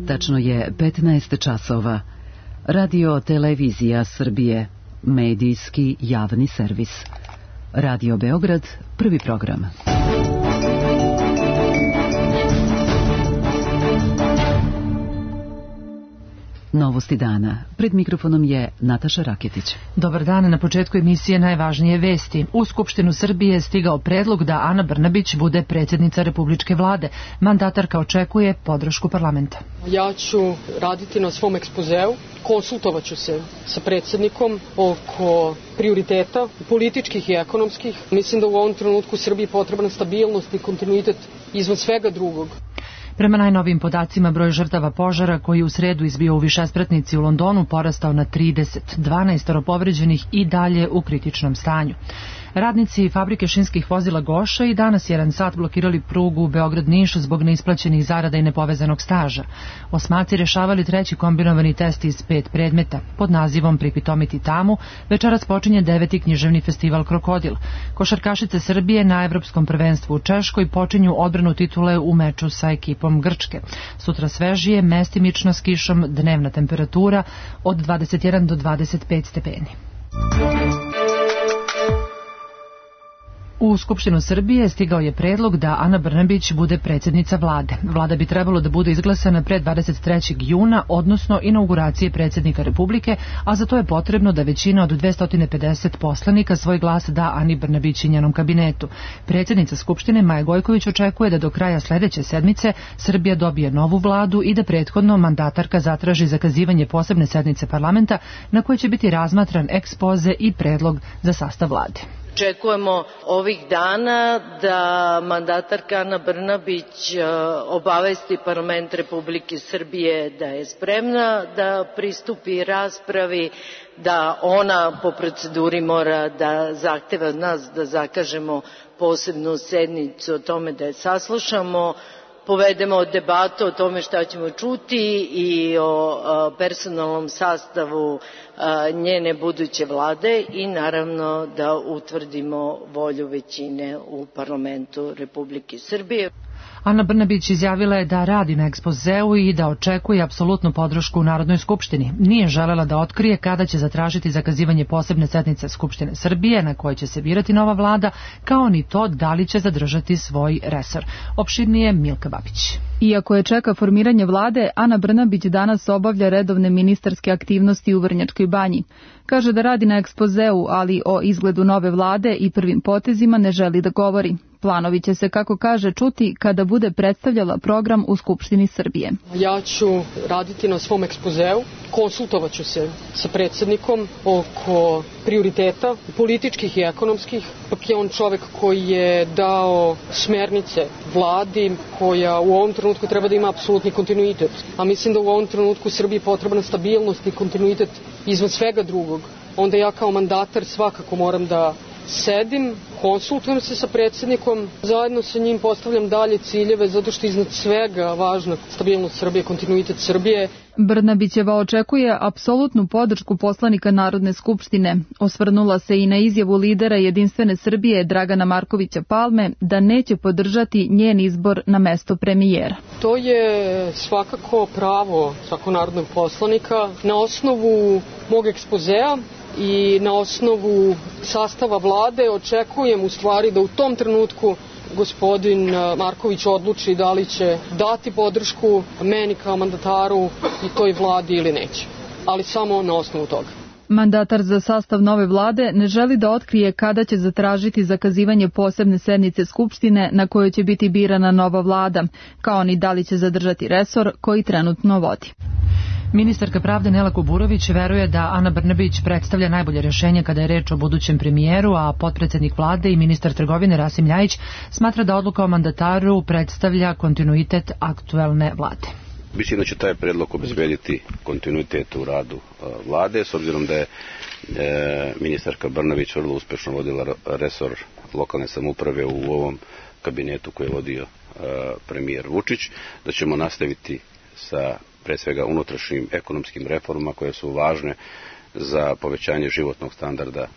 Tačno je 15 časova. Radio Televizija Srbije, medijski javni servis. Radio Beograd, prvi program. Novosti dana. Pred mikrofonom je Nataša Raketić. Dobar dan, na početku emisije najvažnije vesti. U Skupštinu Srbije je stigao predlog da Ana Brnabić bude predsjednica Republičke vlade. Mandatarka očekuje podršku parlamenta. Ja ću raditi na svom ekspozeu, konsultovaću se sa predsjednikom oko prioriteta, političkih i ekonomskih. Mislim da u ovom trenutku Srbiji potrebna stabilnost i kontinuitet izvan svega drugog. Prema najnovijim podacima, broj žrtava požara koji u sredu izbio u višespratnici u Londonu porastao na 30, 12 povređenih i dalje u kritičnom stanju. Radnici fabrike šinskih vozila Goša i danas 1 sat blokirali prugu Beograd-Niš zbog neisplaćenih zarada i nepovezanog staža. Osmaci rešavali treći kombinovani test iz 5 predmeta. Pod nazivom Pripitomiti tamu večeras počinje 9. književni festival Krokodil. Košarkašice Srbije na Evropskom prvenstvu u Češkoj počinju odbranu titule u meču sa ekipom Grčke. Sutra svežije, mestimično s kišom, dnevna temperatura od 21 do 25 stepeni. U Skupštinu Srbije stigao je predlog da Ana Brnabić bude predsjednica vlade. Vlada bi trebalo da bude izglasana pre 23. juna, odnosno inauguracije predsjednika Republike, a za to je potrebno da većina od 250 poslanika svoj glas da Ani Brnabić i njenom kabinetu. Predsjednica Skupštine Maja Gojković očekuje da do kraja sledeće sedmice Srbija dobije novu vladu i da prethodno mandatarka zatraži zakazivanje posebne sednice parlamenta na kojoj će biti razmatran ekspoze i predlog za sastav vlade. Očekujemo ovih dana da mandatarka Ana Brnabić obavesti parlament Republike Srbije da je spremna da pristupi raspravi, da ona po proceduri mora da zahteva od nas da zakažemo posebnu sednicu o tome da je saslušamo, povedemo debatu o tome šta ćemo čuti i o personalnom sastavu njene buduće vlade i naravno da utvrdimo volju većine u parlamentu Republike Srbije. Ana Brnabić izjavila je da radi na ekspozeu i da očekuje apsolutnu podršku u Narodnoj skupštini. Nije želela da otkrije kada će zatražiti zakazivanje posebne sednice Skupštine Srbije na kojoj će se birati nova vlada, kao ni to da li će zadržati svoj resor. Opširnije Milka Babić. Iako je čeka formiranje vlade, Ana Brnabić danas obavlja redovne ministarske aktivnosti u Vrnjačkoj Banji. Kaže da radi na ekspozeu, ali o izgledu nove vlade i prvim potezima ne želi da govori. Planovi će se, kako kaže, čuti kada bude predstavljala program u Skupštini Srbije. Ja ću raditi na svom ekspozeu, konsultovaću se sa predsjednikom oko prioriteta, političkih i ekonomskih. Pak je on čovek koji je dao smernice vladi koja u ovom trenutku treba da ima apsolutni kontinuitet. A mislim da u ovom trenutku Srbiji potrebna stabilnost i kontinuitet izvan svega drugog. Onda ja kao mandatar svakako moram da sedim, konsultujem se sa predsjednikom, zajedno sa njim postavljam dalje ciljeve, zato što iznad svega važna stabilnost Srbije, kontinuitet Srbije. Brnabićeva očekuje apsolutnu podršku poslanika Narodne skupštine. Osvrnula se i na izjavu lidera Jedinstvene Srbije Dragana Markovića Palme da neće podržati njen izbor na mesto premijera. To je svakako pravo svakog narodnog poslanika. Na osnovu mog ekspozea i na osnovu sastava vlade očekujem u stvari da u tom trenutku gospodin Marković odluči da li će dati podršku meni kao mandataru i toj vladi ili neće, ali samo na osnovu toga. Mandatar za sastav nove vlade ne želi da otkrije kada će zatražiti zakazivanje posebne sednice Skupštine na kojoj će biti birana nova vlada, kao ni da li će zadržati resor koji trenutno vodi. Ministarka pravde Nela Kuburović veruje da Ana Brnabić predstavlja najbolje rješenje kada je reč o budućem premijeru, a potpredsednik vlade i ministar trgovine Rasim Ljajić smatra da odluka o mandataru predstavlja kontinuitet aktuelne vlade. Mislim da će taj predlog obezbediti kontinuitet u radu vlade, s obzirom da je ministarka Brnabić vrlo uspešno vodila resor lokalne samouprave u ovom kabinetu koji je vodio premijer Vučić, da ćemo nastaviti sa pre svega unutrašnjim ekonomskim reformama koje su važne za povećanje životnog standarda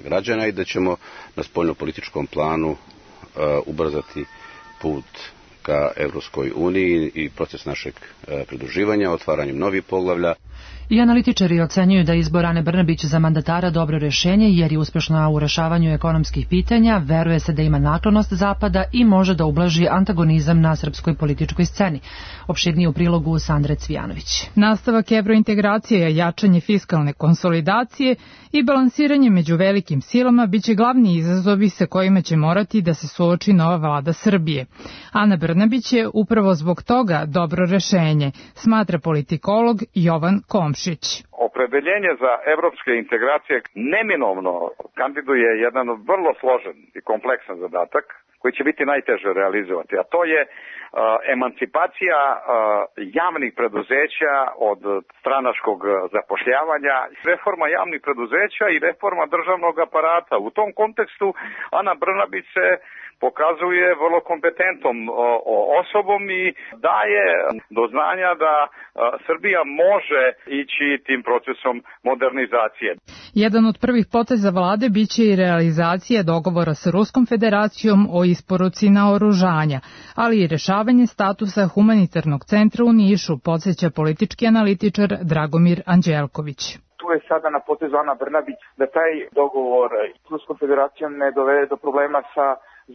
građana i da ćemo na spoljnopolitičkom planu ubrzati put ka Evropskoj uniji i proces našeg pridruživanja, otvaranjem novih poglavlja. I analitičari ocenjuju da izbor Ane Brnabić za mandatara dobro rješenje jer je uspješna u rješavanju ekonomskih pitanja, veruje se da ima naklonost Zapada i može da ublaži antagonizam na srpskoj političkoj sceni. Opširnije u prilogu Sandre Cvijanović. Nastavak evrointegracije, jačanje fiskalne konsolidacije i balansiranje među velikim silama biće glavni izazovi sa kojima će morati da se suoči nova vlada Srbije. Ana Brnabić je upravo zbog toga dobro rješenje, smatra politikolog Jovan Komšić. Opredeljenje za evropske integracije neminovno kandiduje jedan vrlo složen i kompleksan zadatak koji će biti najteže realizovati, a to je emancipacija javnih preduzeća od stranačkog zapošljavanja, reforma javnih preduzeća i reforma državnog aparata. U tom kontekstu Ana Brnabić se pokazuje vrlo kompetentnom osobom i daje do znanja da Srbija može ići tim procesom modernizacije. Jedan od prvih poteza vlade biće i realizacija dogovora sa Ruskom federacijom o isporuci naoružanja, ali i rešavanje statusa humanitarnog centra u Nišu, podsjeća politički analitičar Dragomir Anđelković. Tu je sada na potezu Ana Brnabić da taj dogovor s Ruskom federacijom ne dovede do problema sa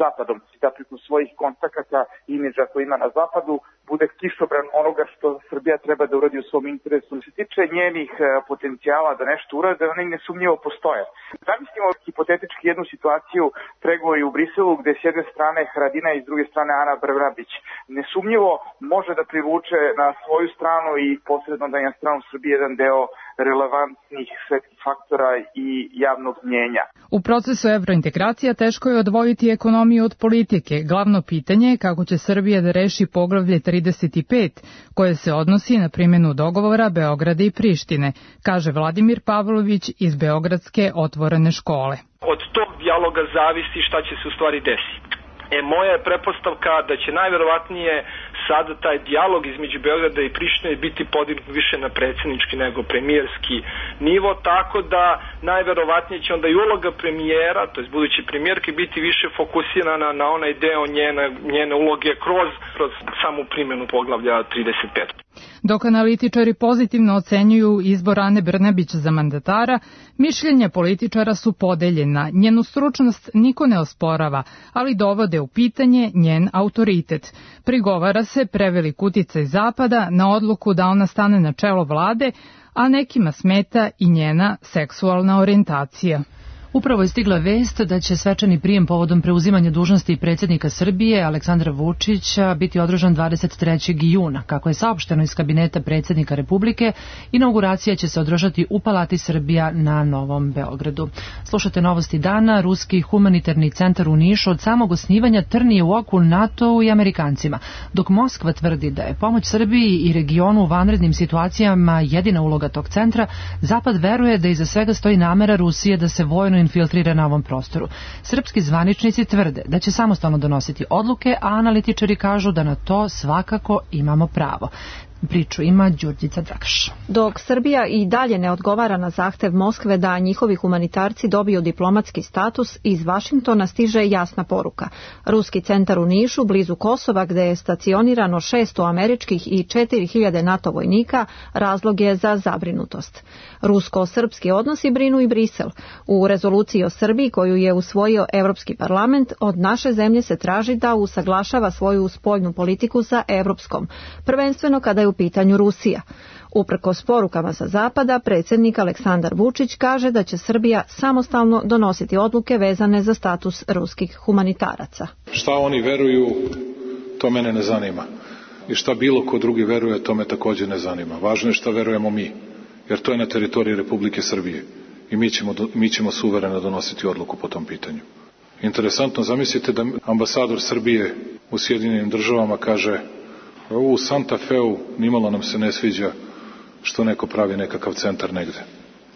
Zapadom, da preko svojih kontakata i imidža koji ima na Zapadu bude kišobran onoga što Srbija treba da uradi u svom interesu. Što se tiče njenih potencijala da nešto urade, oni nesumnjivo postoje. Zamislimo hipotetički jednu situaciju pregovori u Briselu gde s jedne strane Haradinaj i s druge strane Ana Brnabić. Nesumnjivo može da privuče na svoju stranu i posredno da je na stranu Srbije jedan deo relevantnih svetskih faktora i javnog mnjenja. U procesu evrointegracija teško je odvojiti ekonomiju od politike. Glavno pitanje je kako će Srbija da reši poglavlje 35, koje se odnosi na primjenu dogovora Beograda i Prištine, kaže Vladimir Pavlović iz Beogradske otvorene škole. Od tog dijaloga zavisi šta će se u stvari desiti. Moja je pretpostavka da će najverovatnije sada taj dijalog između Beograda i Prištine biti podignut više na predsjednički nego premijerski nivo, tako da najverovatnije će onda i uloga premijera, to jest budući premijerke, biti više fokusirana na onaj deo njene uloge kroz samu primjenu poglavlja 35. Dok analitičari pozitivno ocenjuju izbor Ane Brnabić za mandatara, mišljenja političara su podeljena. Njenu stručnost niko ne osporava, ali dovode u pitanje njen autoritet. Prigovara se prevelik uticaj Zapada na odluku da ona stane na čelo vlade, a nekima smeta i njena seksualna orijentacija. Upravo je stigla vest da će svečani prijem povodom preuzimanja dužnosti predsjednika Srbije Aleksandra Vučića biti održan 23. juna. Kako je saopšteno iz kabineta predsjednika Republike, inauguracija će se održati u Palati Srbija na Novom Beogradu. Slušate novosti dana. Ruski humanitarni centar u Nišu od samog osnivanja trni u oku NATO-u i Amerikancima. Dok Moskva tvrdi da je pomoć Srbiji i regionu u vanrednim situacijama jedina uloga tog centra, Zapad veruje da iza svega stoji namera Rusije da se vojno infiltrira na ovom prostoru. Srpski zvaničnici tvrde da će samostalno donositi odluke, a analitičari kažu da na to svakako imamo pravo. Priču ima Đurđica Dragaš. Dok Srbija i dalje ne odgovara na zahtev Moskve da njihovi humanitarci dobiju diplomatski status, iz Vašingtona stiže jasna poruka. Ruski centar u Nišu, blizu Kosova, gde je stacionirano 600 američkih i 4000 NATO vojnika, razlog je za zabrinutost. Rusko-srpski odnosi brinu i Brisel. U rezoluciji o Srbiji koju je usvojio Evropski parlament, od naše zemlje se traži da usaglašava svoju spoljnu politiku sa evropskom, prvenstveno kada je u pitanju Rusija. Uprkos porukama sa Zapada, predsjednik Aleksandar Vučić kaže da će Srbija samostalno donositi odluke vezane za status ruskih humanitaraca. Šta oni veruju, to mene ne zanima. I šta bilo ko drugi veruje, to me također ne zanima. Važno je šta verujemo mi, jer to je na teritoriji Republike Srbije. I mi ćemo suvereno donositi odluku po tom pitanju. Interesantno, zamislite da ambasador Srbije u Sjedinjenim Državama kaže: u Santa Feu nimalo nam se ne sviđa što neko pravi nekakav centar negde.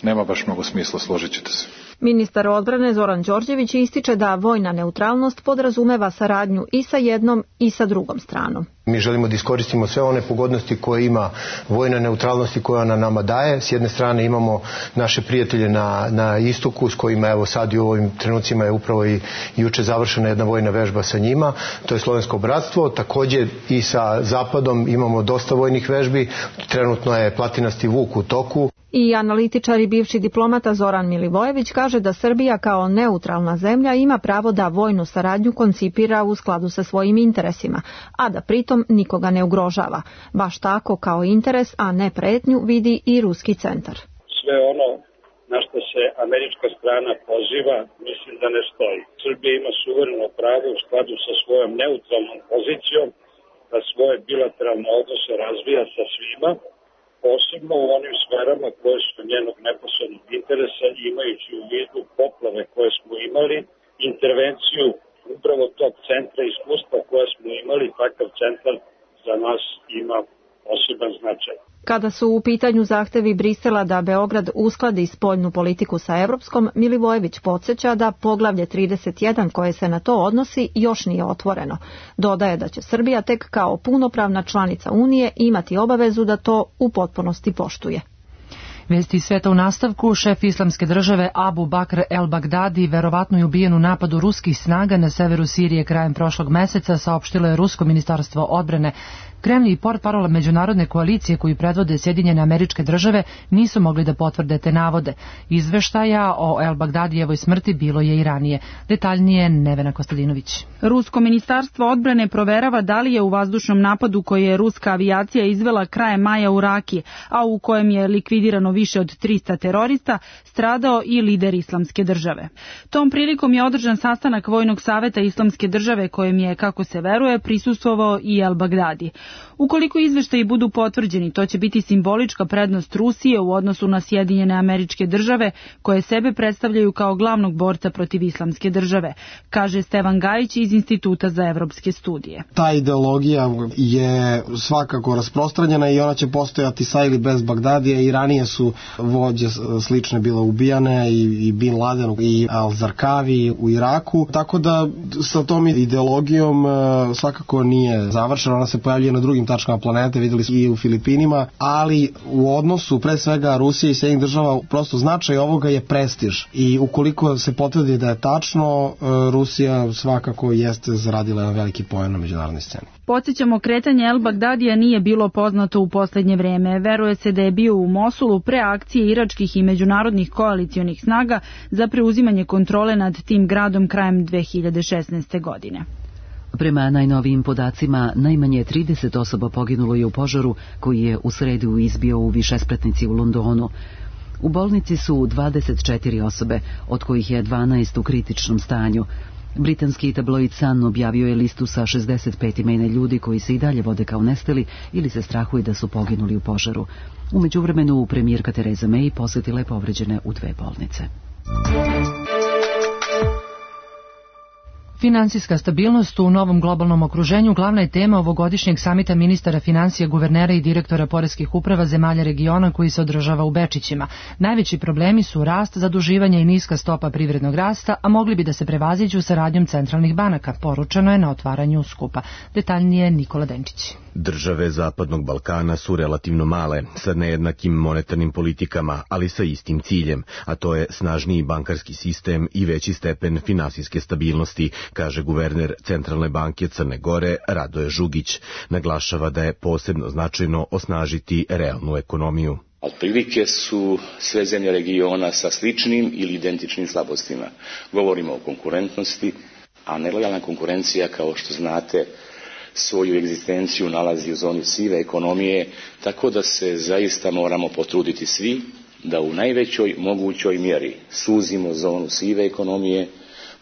nema baš mnogo smisla, složit ćete se. Ministar odbrane Zoran Đorđević ističe da vojna neutralnost podrazumeva saradnju i sa jednom i sa drugom stranom. Mi želimo da iskoristimo sve one pogodnosti koje ima vojna neutralnost i koja ona nama daje. S jedne strane imamo naše prijatelje na istoku s kojima evo sad i u ovim trenucima je upravo i juče završena jedna vojna vežba sa njima. To je Slovensko bratstvo. Također i sa zapadom imamo dosta vojnih vežbi. Trenutno je Platinasti Vuk u toku. I analitičar i bivši diplomata Zoran Milivojević kaže da Srbija kao neutralna zemlja ima pravo da vojnu saradnju koncipira u skladu sa svojim interesima, a da pritom nikoga ne ugrožava. Baš tako kao interes, a ne pretnju, vidi i Ruski centar. Sve ono na što se američka strana poziva, mislim da ne stoji. Srbija ima suvereno pravo u skladu sa svojom neutralnom pozicijom da svoje bilateralne odnose razvija sa svima, posebno u onim sferama koje su njenog neposrednog interesa, imajući u vidu poplave koje smo imali, intervenciju upravo tog centra iskustva koje smo imali, takav centar za nas ima poseban značaj. Kada su u pitanju zahtevi Brisela da Beograd uskladi spoljnu politiku sa evropskom, Milivojević podsjeća da poglavlje 31 koje se na to odnosi još nije otvoreno. Dodaje da će Srbija tek kao punopravna članica Unije imati obavezu da to u potpunosti poštuje. Vesti iz sveta u nastavku. Šef islamske države Abu Bakr el-Bagdadi verovatno je ubijen u napadu ruskih snaga na severu Sirije krajem prošlog meseca, saopštilo je Rusko ministarstvo odbrane. Kremlj i portparol međunarodne koalicije koju predvode Sjedinjene Američke Države nisu mogli da potvrde te navode. Izveštaja o el-Bagdadijevoj smrti bilo je i ranije. Detaljnije Nevena Kostadinović. Rusko ministarstvo odbrane proverava da li je u vazdušnom napadu koji je ruska avijacija izvela krajem maja u Raki, a u kojem je likvidirano više od 300 terorista, stradao i lider Islamske države. Tom prilikom je održan sastanak Vojnog saveta Islamske države kojem je, kako se veruje, prisustvovao i el-Bagdadi. Ukoliko izveštaji budu potvrđeni, to će biti simbolička prednost Rusije u odnosu na Sjedinjene Američke Države, koje sebe predstavljaju kao glavnog borca protiv Islamske države, kaže Stevan Gajić iz Instituta za evropske studije. Ta ideologija je svakako rasprostranjena i ona će postojati sa ili bez Bagdadija. I ranije su vođe slične bile ubijane, i Bin Laden i Al-Zarkavi u Iraku, tako da sa tom ideologijom svakako nije završena. Ona se pojavljuje na drugim tačkama planete, videli smo i u Filipinima, ali u odnosu pre svega Rusije i Sjedinjenih država prosto značaj ovoga je prestiž i ukoliko se potvrdi da je tačno, Rusija svakako jeste zaradila jedan veliki poen na međunarodnoj sceni. Podsjećamo, kretanje el-Bagdadija nije bilo poznato u posljednje vreme. Veruje se da je bio u Mosulu pre akcije iračkih i međunarodnih koalicionih snaga za preuzimanje kontrole nad tim gradom krajem 2016. godine. Prema najnovijim podacima, najmanje 30 osoba poginulo je u požaru koji je u sredu izbio u višespratnici u Londonu. U bolnici su 24 osobe, od kojih je 12 u kritičnom stanju. Britanski tabloid Sun objavio je listu sa 65 imena ljudi koji se i dalje vode kao nestali ili se strahuje da su poginuli u požaru. U međuvremenu premijerka Theresa May posjetila je povređene u 2 bolnice. Finansijska stabilnost u novom globalnom okruženju glavna je tema ovogodišnjeg samita ministara finansija, guvernera i direktora poreskih uprava zemalja regiona koji se održava u Bečićima. Najveći problemi su rast zaduživanja i niska stopa privrednog rasta, a mogli bi da se prevaziđu saradnjom centralnih banaka, poručeno je na otvaranju skupa. Detaljnije Nikola Denčić. Države Zapadnog Balkana su relativno male, sa nejednakim monetarnim politikama, ali sa istim ciljem, a to je snažniji bankarski sistem i veći stepen finansijske stabilnosti, kaže guverner Centralne banke Crne Gore Radoje Žugić. Naglašava da je posebno značajno osnažiti realnu ekonomiju. Otprilike su sve zemlje regiona sa sličnim ili identičnim slabostima. Govorimo o konkurentnosti, a nelojalna konkurencija, kao što znate, svoju egzistenciju nalazi u zoni sive ekonomije, tako da se zaista moramo potruditi svi da u najvećoj mogućoj mjeri suzimo zonu sive ekonomije,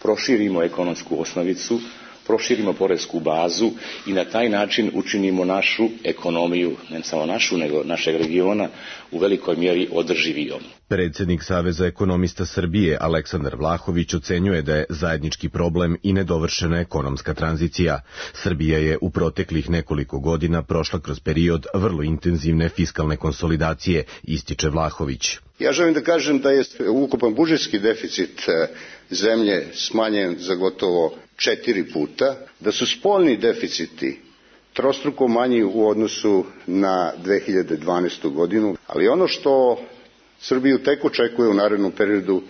proširimo ekonomsku osnovicu, proširimo poresku bazu i na taj način učinimo našu ekonomiju, ne samo našu, nego našeg regiona, u velikoj mjeri održivijom. Predsjednik Saveza ekonomista Srbije Aleksandar Vlahović ocenjuje da je zajednički problem i nedovršena ekonomska tranzicija. Srbija je u proteklih nekoliko godina prošla kroz period vrlo intenzivne fiskalne konsolidacije, ističe Vlahović. Ja želim da kažem da je ukupan budžetski deficit zemlje smanjen za gotovo 4 puta, da su spoljni deficiti trostruko manji u odnosu na 2012. godinu, ali ono što Srbiju tek očekuje u narednom periodu,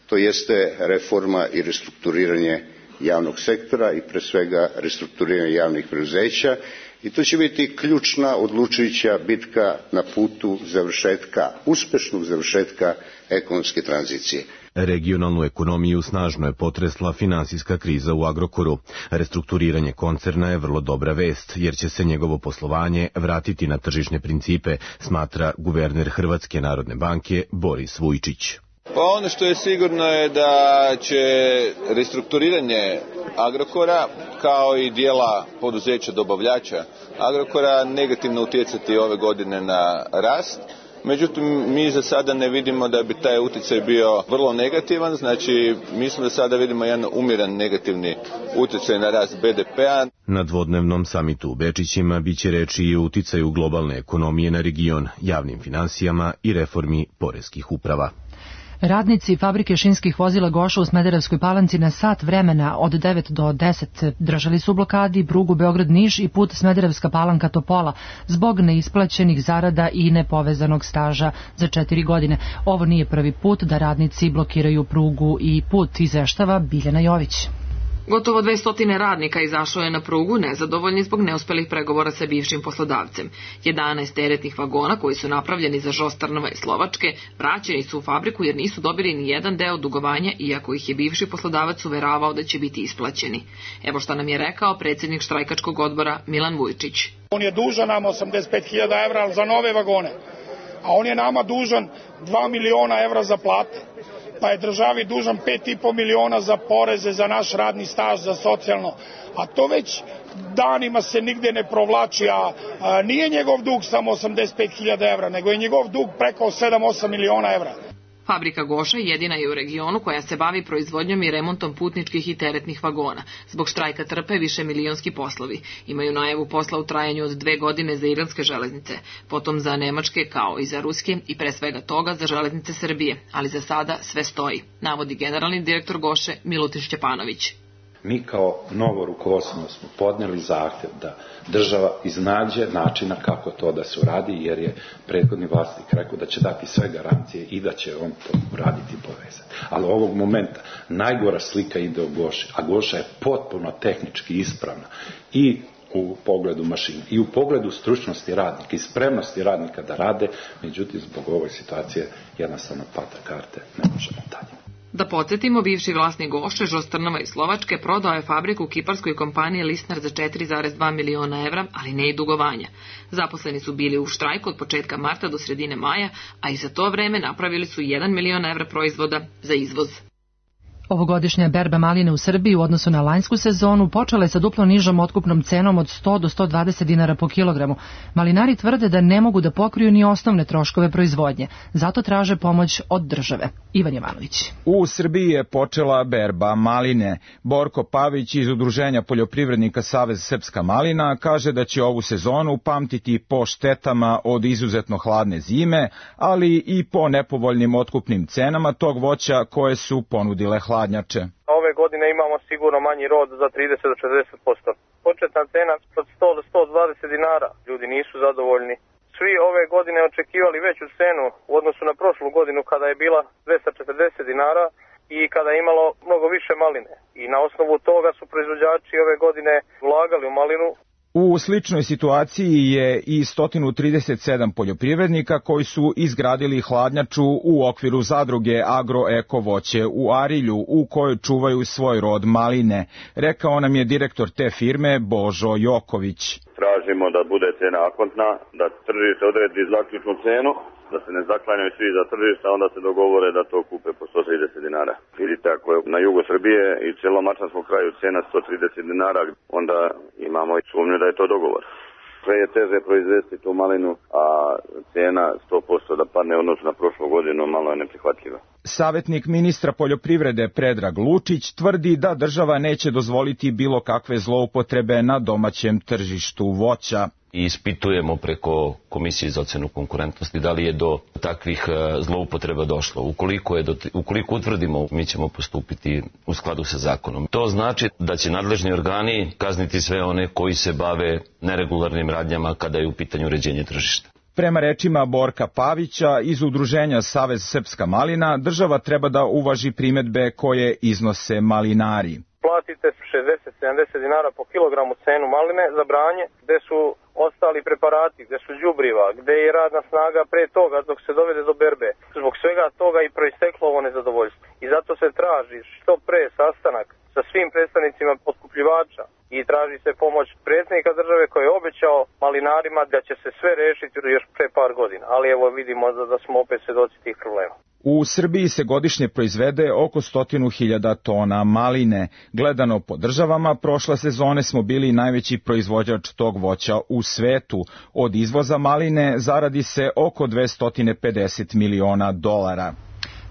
to jeste reforma i restrukturiranje javnog sektora i pre svega restrukturiranje javnih preduzeća, i to će biti ključna, odlučujuća bitka na putu završetka, uspešnog završetka ekonomske tranzicije. Regionalnu ekonomiju snažno je potresla finansijska kriza u Agrokoru. Restrukturiranje koncerna je vrlo dobra vest, jer će se njegovo poslovanje vratiti na tržišne principe, smatra guverner Hrvatske narodne banke Boris Vujčić. Pa ono što je sigurno je da će restrukturiranje Agrokora, kao i dijela poduzeća dobavljača Agrokora, negativno utjecati ove godine na rast. Međutim, mi za sada ne vidimo da bi taj utjecaj bio vrlo negativan, znači mi smo za sada vidimo jedan umjeran negativni utjecaj na rast BDP-a. Na dvodnevnom samitu u Bečićima biće reči i o uticaju globalne ekonomije na region, javnim finansijama i reformi poreskih uprava. Radnici fabrike šinskih vozila Goša u Smederevskoj Palanci na sat vremena od 9 do 10 držali su u blokadi prugu Beograd-Niš i put Smederevska Palanka-Topola zbog neisplaćenih zarada i nepovezanog staža za 4 godine. Ovo nije prvi put da radnici blokiraju prugu i put, izveštava Biljana Jović. Gotovo 200 radnika izašlo je na prugu nezadovoljni zbog neuspelih pregovora sa bivšim poslodavcem. 11 teretnih vagona koji su napravljeni za Žost Trnava i Slovačke vraćeni su u fabriku jer nisu dobili ni jedan deo dugovanja, iako ih je bivši poslodavac uveravao da će biti isplaćeni. Evo šta nam je rekao predsjednik štrajkačkog odbora Milan Vujčić. On je dužan nama 85.000 evra za nove vagone, a on je nama dužan 2 miliona evra za plate. Pa je državi dužan 5,5 miliona za poreze, za naš radni staž, za socijalno. A to već danima se nigde ne provlači, a nije njegov dug samo 85.000 evra, nego je njegov dug preko 7-8 miliona evra. Fabrika Goša jedina je u regionu koja se bavi proizvodnjom i remontom putničkih i teretnih vagona. Zbog štrajka trpe višemilionski poslovi. Imaju najavu posla u trajanju od 2 godine za iranske železnice, potom za nemačke kao i za ruske i pre svega toga za železnice Srbije, ali za sada sve stoji, navodi generalni direktor Goše Milutin Šćepanović. Mi kao novo rukovodstvo smo podnijeli zahtjev da država iznađe načina kako to da se uradi, jer je prethodni vlasnik rekao da će dati sve garancije i da će on to uraditi i povezati. Ali ovog momenta najgora slika ide o Goši, a Goša je potpuno tehnički ispravna i u pogledu mašina i u pogledu stručnosti radnika i spremnosti radnika da rade, međutim zbog ove situacije jednostavno pada karte, ne možemo dalje. Da podsjetimo, bivši vlasnik Goše, Žost Trnava i Slovačke, prodao je fabriku kiparskoj kompaniji Listnar za 4,2 miliona evra, ali ne i dugovanja. Zaposleni su bili u štrajku od početka marta do sredine maja, a i za to vreme napravili su 1 milion evra proizvoda za izvoz. Ovogodišnja berba maline u Srbiji u odnosu na lanjsku sezonu počela je sa duplo nižom otkupnom cenom od 100 do 120 dinara po kilogramu. Malinari tvrde da ne mogu da pokriju ni osnovne troškove proizvodnje, zato traže pomoć od države. Ivan Jovanović. U Srbiji je počela berba maline. Borko Pavić iz Udruženja poljoprivrednika Savez Srpska malina kaže da će ovu sezonu pamtiti po štetama od izuzetno hladne zime, ali i po nepovoljnim otkupnim cenama tog voća koje su ponudile hladnjače. Ove godine imamo sigurno manji rod za 30 do 40%. Početna cena od 100 do 120 dinara. Ljudi nisu zadovoljni. Svi ove godine očekivali veću cenu u odnosu na prošlu godinu kada je bila 240 dinara i kada je imalo mnogo više maline. I na osnovu toga su proizvođači ove godine ulagali u malinu. U sličnoj situaciji je i 137 poljoprivrednika koji su izgradili hladnjaču u okviru zadruge Agroeko voće u Arilju u kojoj čuvaju svoj rod maline, rekao nam je direktor te firme Božo Joković. tražimo da bude cena akontna, da tržište odredi zaključnu cenu, da se ne zaklanjaju svi za tržište, onda se dogovore da to kupe po 130 dinara. Vidite, ako je na jugu Srbije i cijelom Mačvanskom kraju cena 130 dinara, onda imamo i sumnju da je to dogovor. Sve je teže proizvesti tu malinu, a cena 100% da padne odnosno na prošlu godinu malo je neprihvatljiva. Savjetnik ministra poljoprivrede Predrag Lučić tvrdi da država neće dozvoliti bilo kakve zloupotrebe na domaćem tržištu voća. Ispitujemo preko Komisije za ocenu konkurentnosti da li je do takvih zloupotreba došlo. Ukoliko utvrdimo, mi ćemo postupiti u skladu sa zakonom. To znači da će nadležni organi kazniti sve one koji se bave neregularnim radnjama kada je u pitanju uređenje tržišta. Prema rečima Borka Pavića iz udruženja Savez Srpska malina, država treba da uvaži primedbe koje iznose malinari. Platite 60-70 dinara po kilogramu cenu maline za branje, gde su ostali preparati, gde su đubriva, gde je radna snaga pre toga dok se dovede do berbe. Zbog svega toga i proisteklo ovo nezadovoljstvo. I zato se traži što pre sastanak sa svim predstavnicima otkupljivača i traži se pomoć predsjednika države koji je obećao malinarima da će se sve rešiti još pre par godina. Ali evo vidimo da smo opet svedoci tih problema. U Srbiji se godišnje proizvede oko 100.000 tona maline. Gledano po državama, prošle sezone smo bili najveći proizvođač tog voća u svetu. Od izvoza maline zaradi se oko $250 miliona.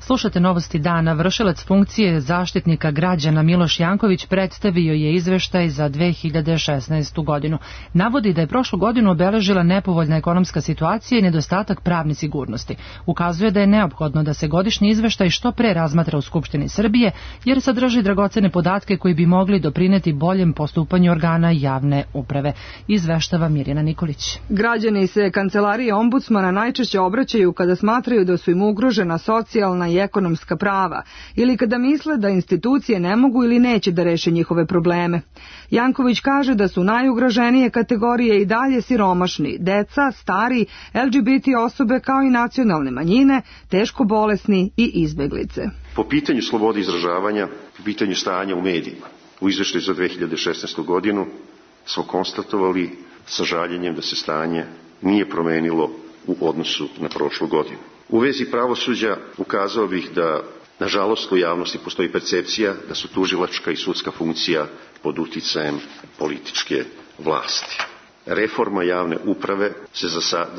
Slušate Novosti dana. Vršilac funkcije zaštitnika građana Miloš Janković predstavio je izveštaj za 2016. godinu. Navodi da je prošlu godinu obeležila nepovoljna ekonomska situacija i nedostatak pravne sigurnosti. Ukazuje da je neophodno da se godišnji izveštaj što pre razmatra u Skupštini Srbije, jer sadrži dragocene podatke koji bi mogli doprineti boljem postupanju organa javne uprave. Izveštava Mirjana Nikolić. Građani se kancelarije ombudsmana najčešće obraćaju kada smatraju da su im ugrožena socijalna i ekonomska prava ili kada misle da institucije ne mogu ili neće da reše njihove probleme. Janković kaže da su najugroženije kategorije i dalje siromašni, deca, stari, LGBT osobe kao i nacionalne manjine, teško bolesni i izbeglice. Po pitanju slobode izražavanja, po pitanju stanja u medijima, u izveštaju za 2016. godinu smo konstatovali sa žaljenjem da se stanje nije promenilo u odnosu na prošlu godinu. U vezi pravosuđa ukazao bih da, nažalost, u javnosti postoji percepcija da su tužilačka i sudska funkcija pod uticajem političke vlasti. Reforma javne uprave se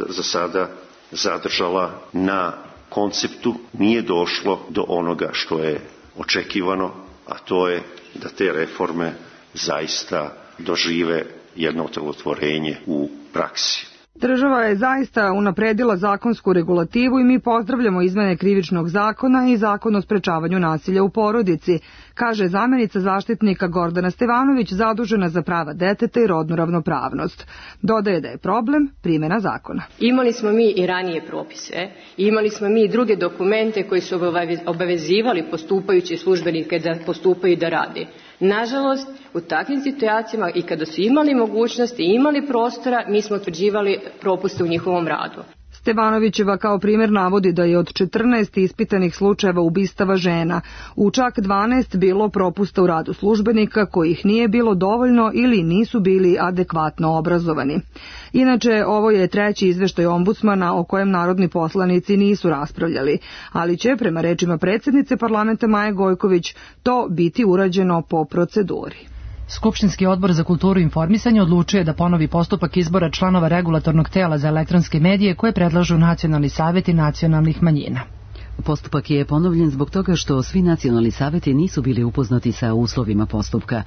za sada zadržala na konceptu, nije došlo do onoga što je očekivano, a to je da te reforme zaista dožive jedno otelotvorenje u praksi. Država je zaista unapredila zakonsku regulativu i mi pozdravljamo izmene krivičnog zakona i zakon o sprečavanju nasilja u porodici, kaže zamenica zaštitnika Gordana Stevanović zadužena za prava deteta i rodnu ravnopravnost. Dodaje da je problem primjena zakona. Imali smo mi i ranije propise, imali smo mi i druge dokumente koji su obavezivali postupajuće službenike da postupaju i da rade. Nažalost, u takvim situacijama i kada su imali mogućnosti i imali prostora, mi smo utvrđivali propuste u njihovom radu. Stevanovićeva kao primjer navodi da je od 14 ispitanih slučajeva ubistava žena u čak 12 bilo propusta u radu službenika kojih nije bilo dovoljno ili nisu bili adekvatno obrazovani. Inače, ovo je treći izveštaj ombudsmana o kojem narodni poslanici nisu raspravljali, ali će, prema rečima predsjednice parlamenta Maje Gojković, to biti urađeno po proceduri. Skupštinski odbor za kulturu i informisanje odlučuje da ponovi postupak izbora članova regulatornog tela za elektronske medije koje predlažu nacionalni saveti nacionalnih manjina. Postupak je ponovljen zbog toga što svi nacionalni saveti nisu bili upoznati sa uslovima postupka.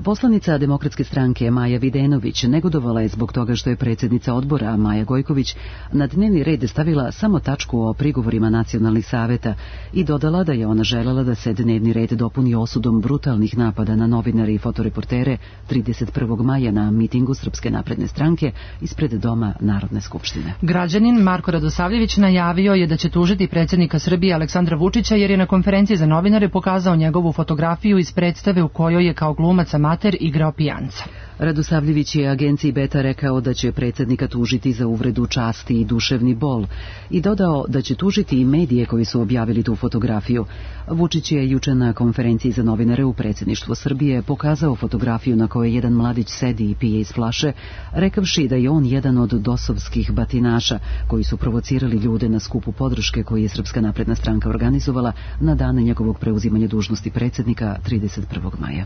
Poslanica Demokratske stranke Maja Videnović negodovala je zbog toga što je predsjednica odbora Maja Gojković na dnevni red stavila samo tačku o prigovorima nacionalnih saveta i dodala da je ona želela da se dnevni red dopuni osudom brutalnih napada na novinare i fotoreportere 31. maja na mitingu Srpske napredne stranke ispred Doma Narodne skupštine. Građanin Marko Radosavljević najavio je da će tužiti predsjednika Srbije Aleksandra Vučića jer je na konferenciji za novinare pokazao njegovu fotografiju iz predstave u kojoj je kao glumac amater igrao pijanca. Radosavljević je agenciji Beta rekao da će predsjednika tužiti za uvredu časti i duševni bol i dodao da će tužiti i medije koji su objavili tu fotografiju. Vučić je juče na konferenciji za novinare u predsjedništvu Srbije pokazao fotografiju na kojoj jedan mladić sedi i pije iz flaše, rekavši da je on jedan od dosovskih batinaša koji su provocirali ljude na skupu podrške koji je Srpska napredna stranka organizovala na dane njegovog preuzimanja dužnosti predsjednika 31. maja.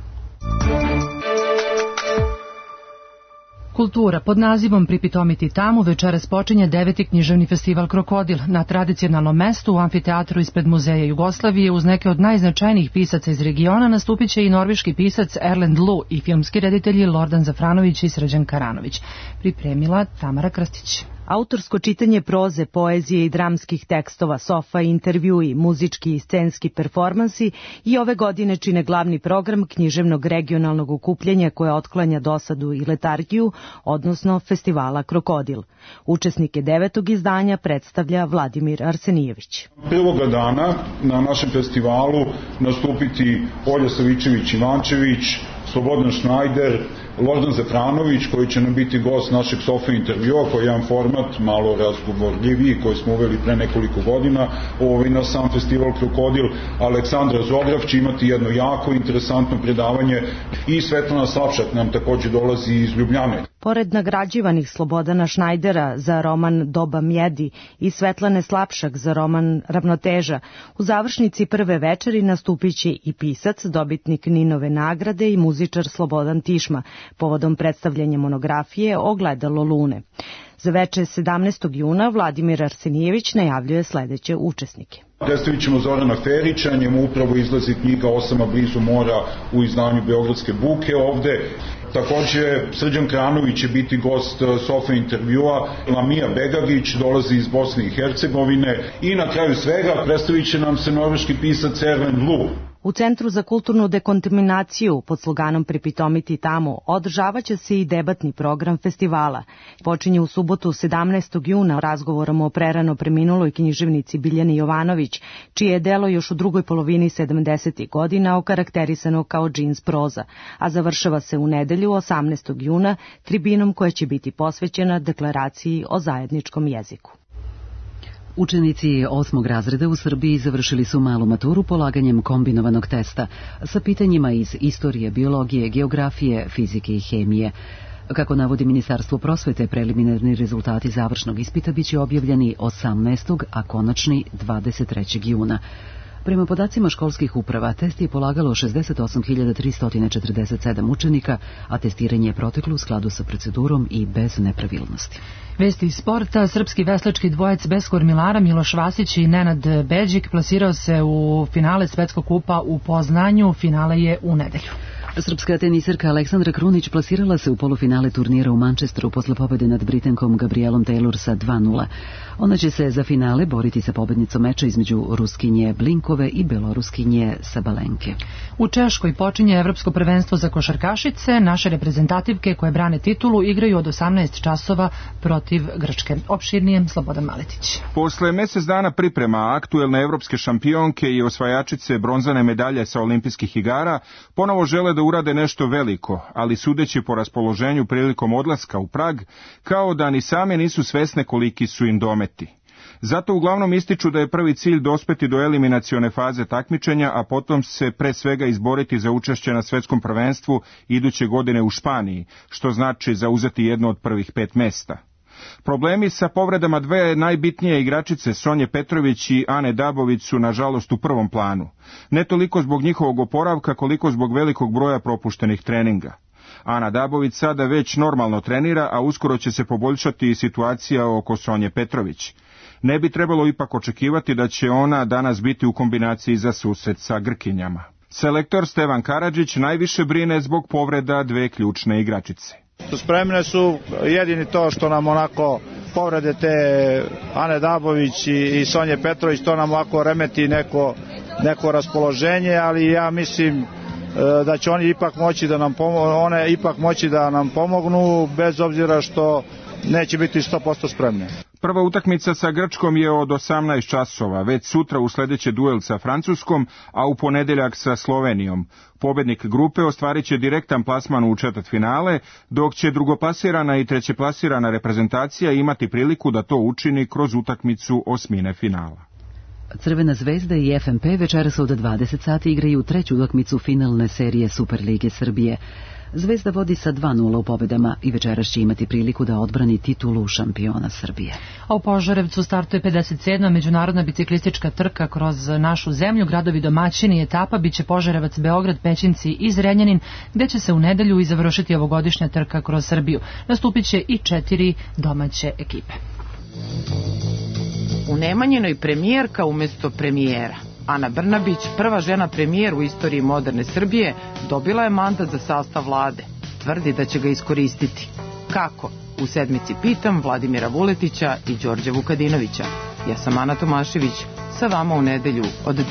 Kultura pod nazivom Pripitomiti tamo večeras počinje 9. književni festival Krokodil na tradicionalnom mestu u amfiteatru ispred Muzeja Jugoslavije. Uz neke od najznačajnijih pisaca iz regiona nastupit će i norveški pisac Erlend Loe i filmski reditelji Lordan Zafranović i Srđan Karanović. Pripremila Tamara Krstić. Autorsko čitanje proze, poezije i dramskih tekstova, sofa i intervjui, muzički i scenski performansi i ove godine čine glavni program književnog regionalnog okupljanja koje otklanja dosadu i letargiju, odnosno festivala Krokodil. Učesnike 9. izdanja predstavlja Vladimir Arsenijević. Prvoga dana na našem festivalu nastupiti Olja Savičević-Ivančević, Slobodan Šnajder, Lordan Zafranović koji će nam biti gost našeg sofa intervjua, koji je jedan format malo razgovorljiviji koji smo uveli pre nekoliko godina na sam festival Krokodil. Aleksandra Zograf će imati jedno jako interesantno predavanje i Svetlana Slavšak nam takođe dolazi iz Ljubljane. Pored nagrađivanih Slobodana Šnajdera za roman Doba mjedi i Svetlane Slapšak za roman Ravnoteža, u završnici prve večeri nastupit će i pisac, dobitnik Ninove nagrade i muzičar Slobodan Tišma, povodom predstavljanja monografije Ogledalo lune. Za večer 17. juna Vladimir Arsenijević najavljuje sledeće učesnike. Predstavit ćemo Zorana Ferića, njemu upravo izlazi knjiga Osama blizu mora u izdanju Beogradske buke ovde. Takođe, Srđan Kranović će biti gost sofa intervjua, Lamija Begagić dolazi iz Bosne i Hercegovine i na kraju svega predstavit će nam se norveški pisac Erlend Loe. U Centru za kulturnu dekontaminaciju pod sloganom Pripitomiti tamo održavaće se i debatni program festivala. Počinje u subotu 17. juna razgovorom o prerano preminuloj književnici Biljani Jovanović, čije je delo još u drugoj polovini 70. godina okarakterisano kao džins proza, a završava se u nedelju 18. juna tribinom koja će biti posvećena deklaraciji o zajedničkom jeziku. Učenici 8. razreda u Srbiji završili su malu maturu polaganjem kombinovanog testa sa pitanjima iz istorije, biologije, geografije, fizike i hemije. Kako navodi Ministarstvo prosvete, preliminarni rezultati završnog ispita biće objavljeni 18. a konačni 23. juna. Prema podacima školskih uprava, test je polagalo 68.347 učenika, a testiranje je proteklo u skladu sa procedurom i bez nepravilnosti. Vesti iz sporta, srpski veslački dvojec bez kormilara Miloš Vasić i Nenad Beđik plasirao se u finale Svetskog kupa u Poznanju, finale je u nedelju. Srpska tenisirka Aleksandra Krunić plasirala se u polufinale turnira u Manchesteru posle pobede nad Britankom Gabrielom Taylor sa 2:0. Ona će se za finale boriti sa pobednicom meča između Ruskinje Blinkove i Beloruskinje Sabalenke. U Češkoj počinje Evropsko prvenstvo za košarkašice. Naše reprezentativke koje brane titulu igraju od 18 časova protiv Grčke. Opširnije Slobodan Maletić. Posle mesec dana priprema aktuelne evropske šampionke i osvajačice bronzane medalje sa olimpijskih igara ponovo žele da urade nešto veliko, ali sudeći po raspoloženju prilikom odlaska u Prag, kao da ni same nisu svesne koliki su im dometi. Zato uglavnom ističu da je prvi cilj dospeti do eliminacione faze takmičenja, a potom se pre svega izboriti za učešće na svetskom prvenstvu iduće godine u Španiji, što znači zauzeti jedno od prvih 5 mesta. Problemi sa povredama dve najbitnije igračice Sonje Petrović i Ane Dabović su nažalost u prvom planu. Ne toliko zbog njihovog oporavka koliko zbog velikog broja propuštenih treninga. Ana Dabović sada već normalno trenira, a uskoro će se poboljšati i situacija oko Sonje Petrović. Ne bi trebalo ipak očekivati da će ona danas biti u kombinaciji za susret sa Grkinjama. Selektor Stevan Karadžić najviše brine zbog povreda dve ključne igračice. Spremne su, jedini to što nam onako povrede te Ane Dabović i Sonje Petrović, to nam ovako remeti neko raspoloženje, ali ja mislim da će oni ipak moći da nam pomognu, bez obzira što neće biti 100% spremne. Prva utakmica sa Grčkom je od 18 časova, već sutra usledeće duel sa Francuskom, a u ponedeljak sa Slovenijom. Pobednik grupe ostvarit će direktan plasman u četvrtfinale, dok će drugoplasirana i trećeplasirana reprezentacija imati priliku da to učini kroz utakmicu osmine finala. Crvena zvezda i FNP večeras od 20 sati igraju treću utakmicu finalne serije Superlige Srbije. Zvezda vodi sa 2:0 u pobedama i večeras će imati priliku da odbrani titulu šampiona Srbije. A u Požarevcu startuje 57. međunarodna biciklistička trka kroz našu zemlju. Gradovi domaćini etapa biće Požarevac, Beograd, Pećinci i Zrenjanin, gde će se u nedelju i završiti ovogodišnja trka kroz Srbiju. Nastupit će i 4 domaće ekipe. U Nemanjinoj premijerka umesto premijera. Ana Brnabić, prva žena premijer u istoriji moderne Srbije, dobila je mandat za sastav vlade. Tvrdi da će ga iskoristiti. Kako? U sedmici pitam Vladimira Vuletića i Đorđa Vukadinovića. Ja sam Ana Tomašević, sa vama u nedelju od 10.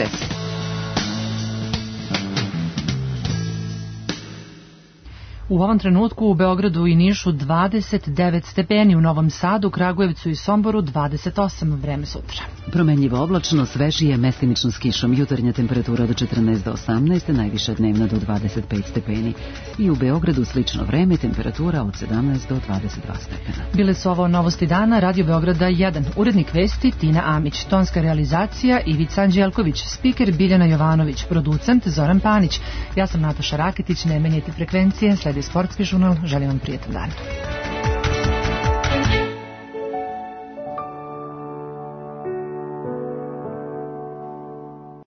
U ovom trenutku u Beogradu i Nišu 29 stepeni, u Novom Sadu, Kragujevcu i Somboru 28, vreme sutra. Promenljivo oblačno, svežije, mestimično s kišom, jutarnja temperatura od 14 do 18, najviša dnevna do 25 stepeni. I u Beogradu slično vreme, temperatura od 17 do 22 stepena. Bile su ovo novosti dana, Radio Beograda 1, urednik vesti Tina Amić, tonska realizacija Ivica Anđelković, spiker Biljana Jovanović, producent Zoran Panić. Ja sam Nataša Raketić, ne menjajte frekvencije, sledi Sportski žurnal, želim vam prijetan dan.